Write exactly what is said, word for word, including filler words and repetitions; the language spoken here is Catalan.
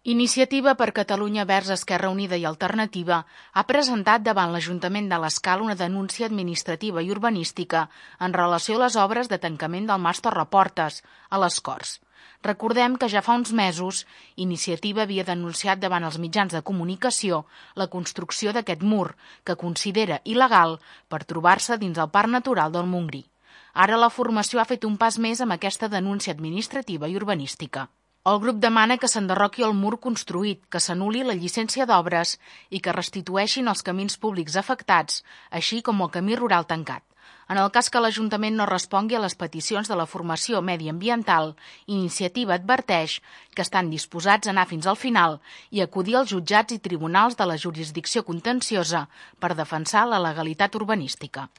Iniciativa per Catalunya Verds Esquerra Unida i Alternativa ha presentat davant l'Ajuntament de l'Escala una denúncia administrativa i urbanística en relació a les obres de tancament del Mas Torreportes, a les Corts. Recordem que ja fa uns mesos Iniciativa havia denunciat davant els mitjans de comunicació la construcció d'aquest mur, que considera il·legal per trobar-se dins el Parc Natural del Montgrí. Ara la formació ha fet un pas més amb aquesta denúncia administrativa i urbanística. El grup demana que s'enderroqui el mur construït, que s'anul·li la llicència d'obres i que restitueixin els camins públics afectats, així com el camí rural tancat. En el cas que l'Ajuntament no respongui a les peticions de la formació mediambiental, Iniciativa adverteix que estan disposats a anar fins al final i acudir als jutjats i tribunals de la jurisdicció contenciosa per defensar la legalitat urbanística.